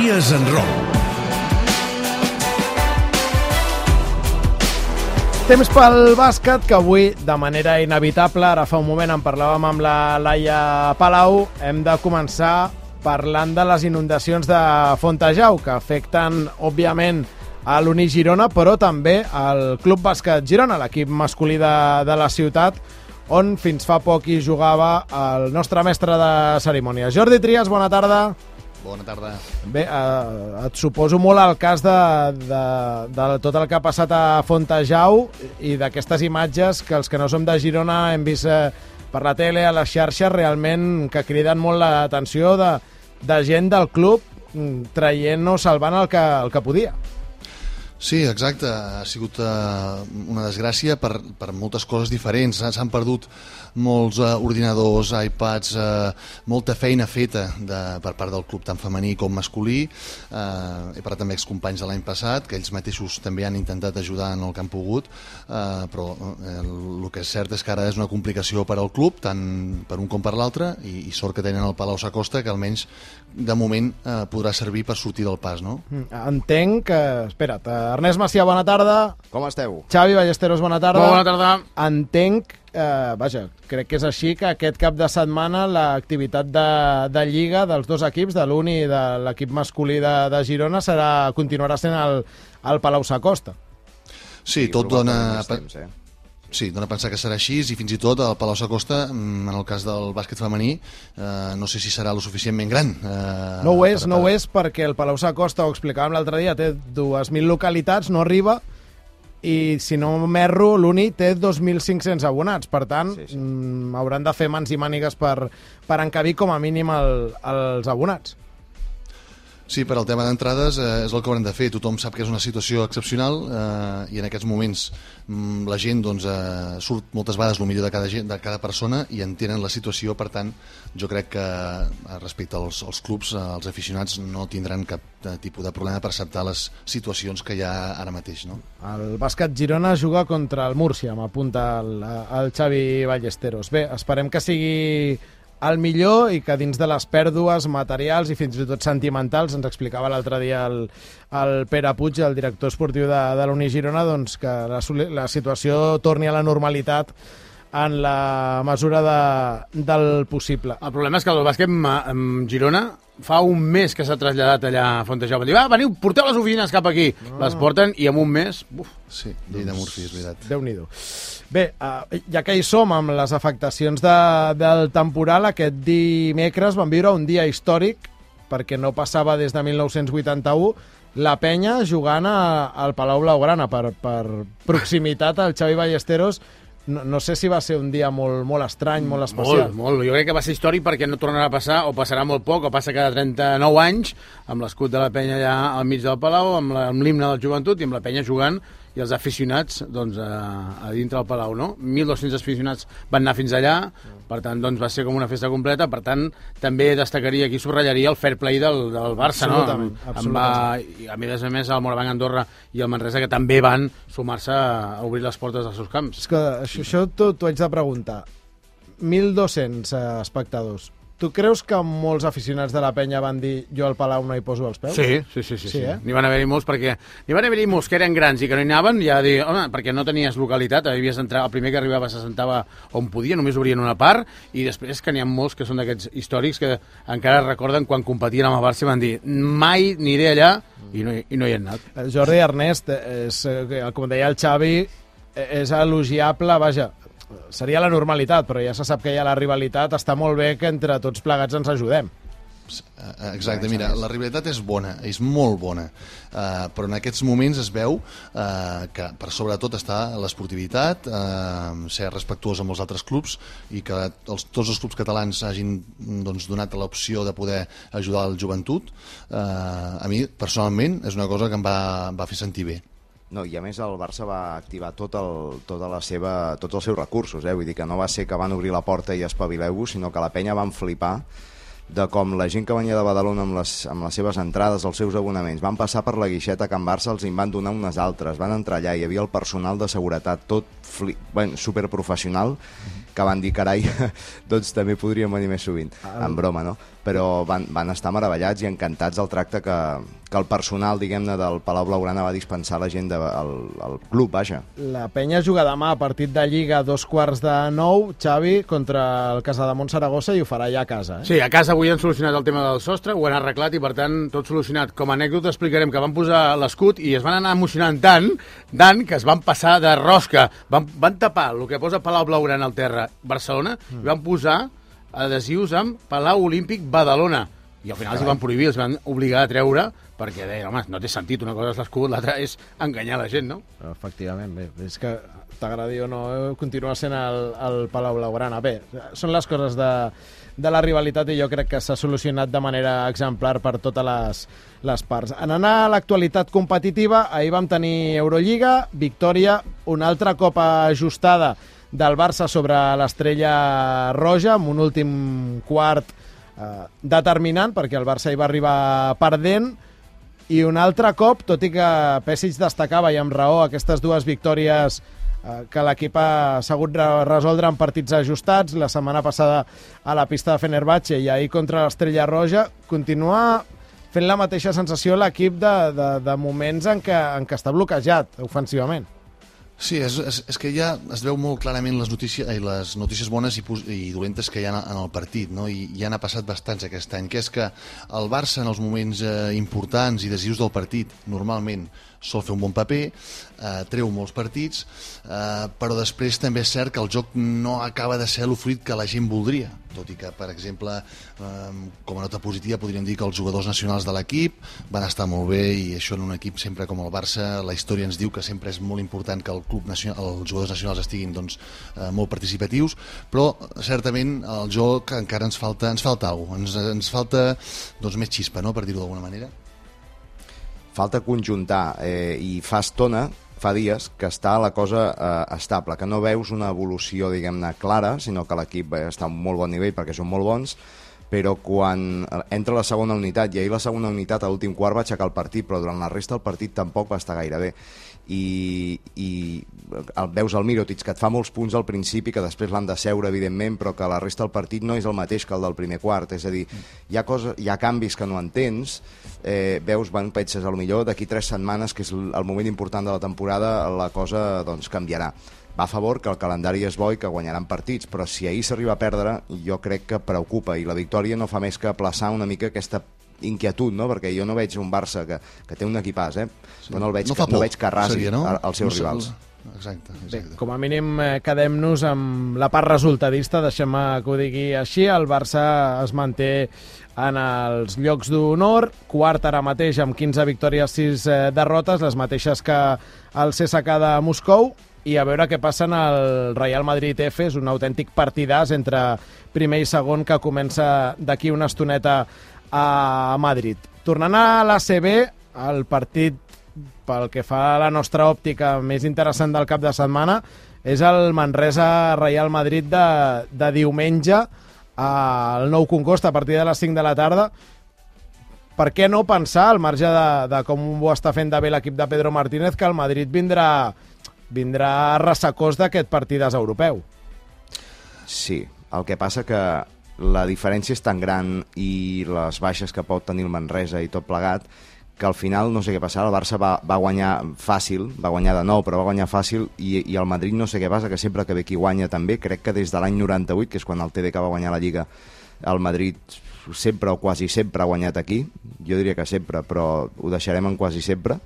Trias en Roc. Temps pel bàsquet, que avui, de manera inevitable, ara fa un moment en parlàvem amb la Laia Palau, hem de començar parlant de les inundacions de Fontejau, que afecten, òbviament, a l'Uni Girona, però també al Club Bàsquet Girona, l'equip masculí de la ciutat, on fins fa poc hi jugava el nostre mestre de cerimònies. Jordi Trias, bona tarda. Bona tarda. Bé, et suposo molt el cas de tot el que ha passat a Fontejau i d'aquestes imatges que els que no som de Girona hem vist per la tele, a les xarxes, realment que criden molt l'atenció de gent del club traient o salvant el que podia. Sí, exacte. Ha sigut una desgràcia per moltes coses diferents. S'han perdut molts ordinadors, iPads, molta feina feta per part del club tant femení com masculí. He parlat amb excompanys de l'any passat, que ells mateixos també han intentat ajudar en el que han pogut, però el que és cert és que ara és una complicació per al club, tant per un com per l'altre, i sort que tenen el Palau Sacosta, que almenys de moment podrà servir per sortir del pas, no? Entenc que... Espera't, Ernest Macià, bona tarda. Com esteu? Xavi Ballesteros, bona tarda. Bona tarda. Entenc, vaja, crec que és així, que aquest cap de setmana l'activitat de Lliga dels dos equips, de l'Uni i de l'equip masculí de Girona, continuarà sent al Palau Sacosta. Sí, tot dona... Sí, dona a pensar que serà així, i fins i tot el Palau Sacosta, en el cas del bàsquet femení, no sé si serà lo suficientment gran. No ho és, perquè el Palau Sacosta, ho explicàvem l'altre dia, té 2.000 localitats, no arriba, i si no m'erro, l'Uni té 2.500 abonats. Per tant, hauran de fer mans i mànigues per encabir com a mínim els abonats. Sí, per al tema d'entrades és el que haurem de fer. Tothom sap que és una situació excepcional i en aquests moments la gent surt moltes vegades el millor de cada persona i entenen la situació. Per tant, jo crec que respecte als clubs, els aficionats no tindran cap tipus de problema per acceptar les situacions que hi ha ara mateix, no? El bàsquet Girona juga contra el Múrcia, m'apunta el Xavi Ballesteros. Bé, esperem que sigui el millor i que dins de les pèrdues materials i fins i tot sentimentals, ens explicava l'altre dia el Pere Puig, el director esportiu de l'Uni Girona, doncs que la situació torni a la normalitat en la mesura del possible. El problema és que el bàsquet Girona fa un mes que s'ha traslladat allà a Fontejau. Va dir, veniu, porteu les oficines cap aquí. Les porten i en un mes... Sí, llei de Murphy, és veritat. Déu-n'hi-do. Bé, ja que hi som amb les afectacions del temporal, aquest dimecres van viure un dia històric, perquè no passava des de 1981, la penya jugant al Palau Blaugrana. Per proximitat, el Xavi Ballesteros, no sé si va ser un dia molt estrany, molt especial. Molt. Jo crec que va ser històric perquè no tornarà a passar, o passarà molt poc, o passa cada 39 anys, amb l'escut de la penya allà al mig del Palau, amb l'himne de la joventut i amb la penya jugant, i els aficionats doncs, a dintre del Palau, no? 1.200 aficionats van anar fins allà, per tant, doncs, va ser com una festa completa. Per tant, també destacaria, aquí subratllaria el fair play del Barça, absolutament, no? Absolutament. A més, el Morabanc Andorra i el Manresa, que també van sumar-se a obrir les portes dels seus camps. És que això t'ho haig de preguntar. 1.200 espectadors. Tu creus que molts aficionats de la penya van dir jo al Palau no hi poso els peus? Sí. N'hi van haver-hi molts perquè n'hi van haver-hi molts que eren grans i que no hi anaven, ja dir, home, perquè no tenies localitat, havies d'entrar, el primer que arribava se sentava on podia, només obrien una part, i després que n'hi ha molts que són d'aquests històrics que encara recorden quan competien amb el Barça i van dir mai aniré allà i no hi han anat. Jordi Ernest, com deia el Xavi, és elogiable, vaja, seria la normalitat, però ja se sap que hi ha la rivalitat, està molt bé que entre tots plegats ens ajudem. Exacte, mira, la rivalitat és bona, és molt bona, però en aquests moments es veu que per sobretot està l'esportivitat, ser respectuós amb els altres clubs i que tots els clubs catalans hagin donat l'opció de poder ajudar el joventut. A mi, personalment, és una cosa que em va fer sentir bé. No, i a més el Barça va activar tots els seus recursos, vull dir que no va ser que van obrir la porta i espavileu-vos, sinó que la penya van flipar de com la gent que venia de Badalona amb les seves entrades, els seus abonaments, van passar per la guixeta a Can Barça, els en van donar unes altres, van entrar allà, hi havia el personal de seguretat, tot superprofessional, que van dir, carai, doncs també podríem venir més sovint, en broma, no? Però van estar meravellats i encantats del tracte que el personal, diguem-ne, del Palau Blaugrana va dispensar a la gent del club, vaja. La penya juga demà a partit de Lliga a 8:45, Xavi, contra el Casademont Saragossa, i ho farà ja a casa, eh? Sí, a casa avui han solucionat el tema del sostre, ho han arreglat i, per tant, tot solucionat. Com a anècdota explicarem que van posar l'escut i es van anar emocionant tant que es van passar de rosca. Van tapar el que posa Palau Blaugrana al terra Barcelona i van posar adhesius amb Palau Olímpic Badalona. I al final els van prohibir, els van obligar a treure, perquè deien, home, no té sentit, una cosa és l'escut, l'altra és enganyar la gent, no? Efectivament, bé, és que t'agradi o no, continua sent el Palau Blaugrana. Bé, són les coses de la rivalitat i jo crec que s'ha solucionat de manera exemplar per totes les parts. En anar a l'actualitat competitiva, ahir vam tenir Eurolliga, victòria, una altra copa ajustada del Barça sobre l'Estrella Roja, amb un últim quart determinant, perquè el Barça hi va arribar perdent, i un altre cop, tot i que Pesic destacava, i amb raó, aquestes dues victòries que l'equip ha sabut resoldre en partits ajustats, la setmana passada a la pista de Fenerbahçe i ahir contra l'Estrella Roja, continua fent la mateixa sensació l'equip de moments en què està bloquejat ofensivament. Sí, és que ja es veu molt clarament les notícies bones i dolentes que hi ha en el partit, no? I ja n'ha passat bastants aquest any, que és que el Barça en els moments importants i decisius del partit normalment sol fer un bon paper, treu molts partits, però després també és cert que el joc no acaba de ser l'ofrit que la gent voldria, tot i que, per exemple, com a nota positiva podríem dir que els jugadors nacionals de l'equip van estar molt bé, i això en un equip sempre com el Barça, la història ens diu que sempre és molt important que els jugadors nacionals estiguin molt participatius, però certament el joc encara ens falta alguna cosa, ens falta més xispa, no?, per dir-ho d'alguna manera. Falta conjuntar, i fa dies que està la cosa estable, que no veus una evolució, diguem-ne, clara, sinó que l'equip està a un molt bon nivell perquè són molt bons, però quan entra la segona unitat, i ahir la segona unitat a l'últim quart va aixecar el partit, però durant la resta del partit tampoc va estar gaire bé. I veus el Mirotic, que et fa molts punts al principi, que després l'han de seure, evidentment, però que la resta del partit no és el mateix que el del primer quart. És a dir, hi ha canvis que no entens, veus, penses, potser d'aquí 3 setmanes, que és el moment important de la temporada, la cosa canviarà. Va a favor que el calendari és bo i que guanyaran partits, però si ahir s'arriba a perdre, jo crec que preocupa, i la victòria no fa més que aplaçar una mica aquesta inquietud, no? Perquè jo no veig un Barça que té un equipàs, però no veig que arrasi els seus rivals. Exacte. Bé, com a mínim quedem-nos amb la part resultadista, deixem-me que ho digui així. El Barça es manté en els llocs d'honor, quart ara mateix amb 15 victòries, 6 derrotes, les mateixes que el CSKA de Moscou, i a veure què passa en el Real Madrid F. És un autèntic partidàs entre primer i segon que comença d'aquí una estoneta a Madrid. Tornant a l'ACB, el partit pel que fa a la nostra òptica més interessant del cap de setmana és el Manresa-Real Madrid de diumenge al Nou Congost a partir de les 5 de la tarda. Per què no pensar, al marge de com ho està fent de bé l'equip de Pedro Martínez, que el Madrid vindrà ressacós d'aquest partidàs europeu? Sí, el que passa que la diferència és tan gran i les baixes que pot tenir el Manresa i tot plegat, que al final no sé què passarà. El Barça va guanyar fàcil, va guanyar de nou, però va guanyar fàcil, i el Madrid no sé què passa, que sempre que ve qui guanya també, crec que des de l'any 98, que és quan el TDK va guanyar la Lliga, el Madrid sempre o quasi sempre ha guanyat aquí. Jo diria que sempre, però ho deixarem en quasi sempre,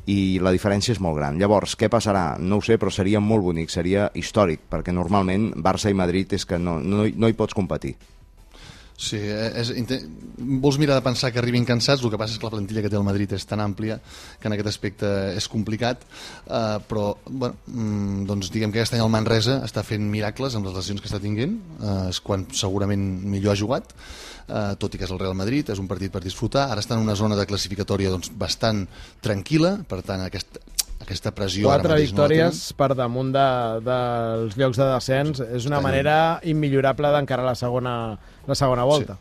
i la diferència és molt gran. Llavors, què passarà? No ho sé, però seria molt bonic, seria històric, perquè normalment Barça i Madrid és que no hi pots competir. Sí, vols mirar de pensar que arribin cansats, el que passa és que la plantilla que té el Madrid és tan àmplia que en aquest aspecte és complicat, però bueno, doncs diguem que aquest any el Manresa està fent miracles amb les lesions que està tinguent, és quan segurament millor ha jugat, tot i que és el Real Madrid, és un partit per disfrutar. Ara està en una zona de classificatòria doncs, bastant tranquil·la, per tant aquesta pressió... 4 victòries per damunt dels llocs de descens és una manera immillorable d'encarar la segona volta.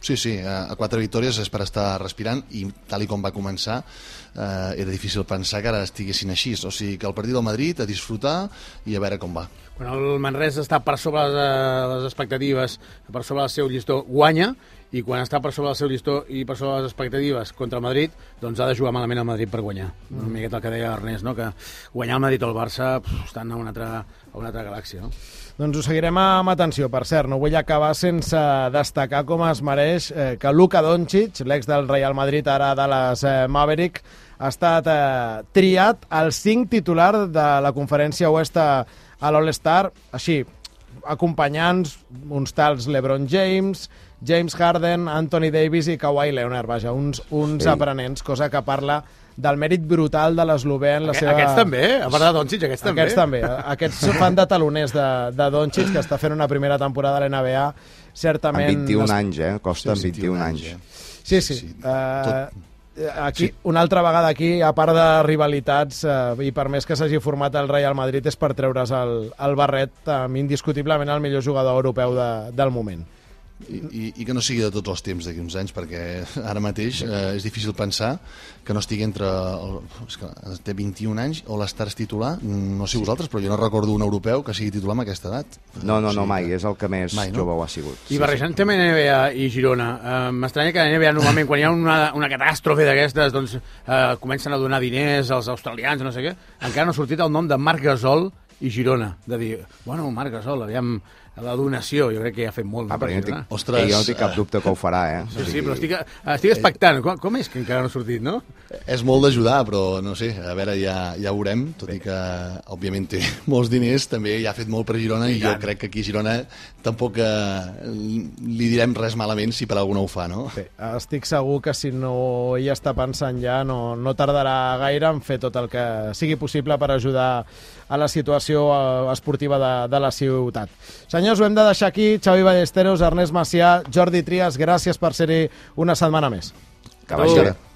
Sí, a 4 victòries és per estar respirant i tal i com va començar era difícil pensar que ara estiguessin així, o sigui que el partit del Madrid a disfrutar i a veure com va. Quan el Manresa està per sobre les expectatives, per sobre del seu llistó, guanya, i quan està per sobre del seu llistó i per sobre les expectatives contra el Madrid, doncs ha de jugar malament el Madrid per guanyar. Una miqueta el que deia Ernest, no? Que guanyar el Madrid o el Barça estan a una altra galàxia, no? Doncs ho seguirem amb atenció. Per cert, no vull acabar sense destacar com es mereix que Luka Doncic, l'ex del Real Madrid, ara de les Maverick, ha estat triat al 5 titular de la conferència oest a l'All-Star, així, acompanyant uns tals LeBron James, James Harden, Anthony Davis i Kawhi Leonard, vaja, uns aprenents, cosa que parla del mèrit brutal de l'eslovè en la seva... Aquests també, a part de Doncic, aquests també. Aquests també. Aquests fan de taloners de Doncic, que està fent una primera temporada a l'NBA, certament... Amb 21 anys, Costa, amb 21 anys. Sí. Aquí, una altra vegada aquí, a part de rivalitats, i per més que s'hagi format el Real Madrid, és per treure's el barret amb indiscutiblement el millor jugador europeu del moment. I que no sigui de tots els temps d'aquí uns anys, perquè ara mateix és difícil pensar que no estigui entre... És que té 21 anys, o l'Stars titular, no sé vosaltres, però jo no recordo un europeu que sigui titular amb aquesta edat. No, mai, és el que més jove ho ha sigut. I barrejant tema NBA i Girona, m'estranya que a NBA normalment quan hi ha una catàstrofe d'aquestes, doncs comencen a donar diners als australians, no sé què, encara no ha sortit el nom de Marc Gasol i Girona, de dir, bueno, Marc Gasol, aviam, la donació, jo crec que ja ha fet molt. Jo no tinc cap dubte que ho farà, Sí, però estic expectant. Com és que encara no ha sortit, no? És molt d'ajudar, però no sé, a veure, ja veurem, tot i que, òbviament, té molts diners, també ja ha fet molt per Girona, i jo crec que aquí a Girona tampoc li direm res malament si per alguna ho fa, no? Sí, estic segur que si no hi està pensant ja, no tardarà gaire en fer tot el que sigui possible per ajudar a la situació esportiva de la ciutat. Senyors, ho hem de deixar aquí. Xavi Ballesteros, Ernest Macià, Jordi Trias, gràcies per ser-hi una setmana més. Que vagi bé.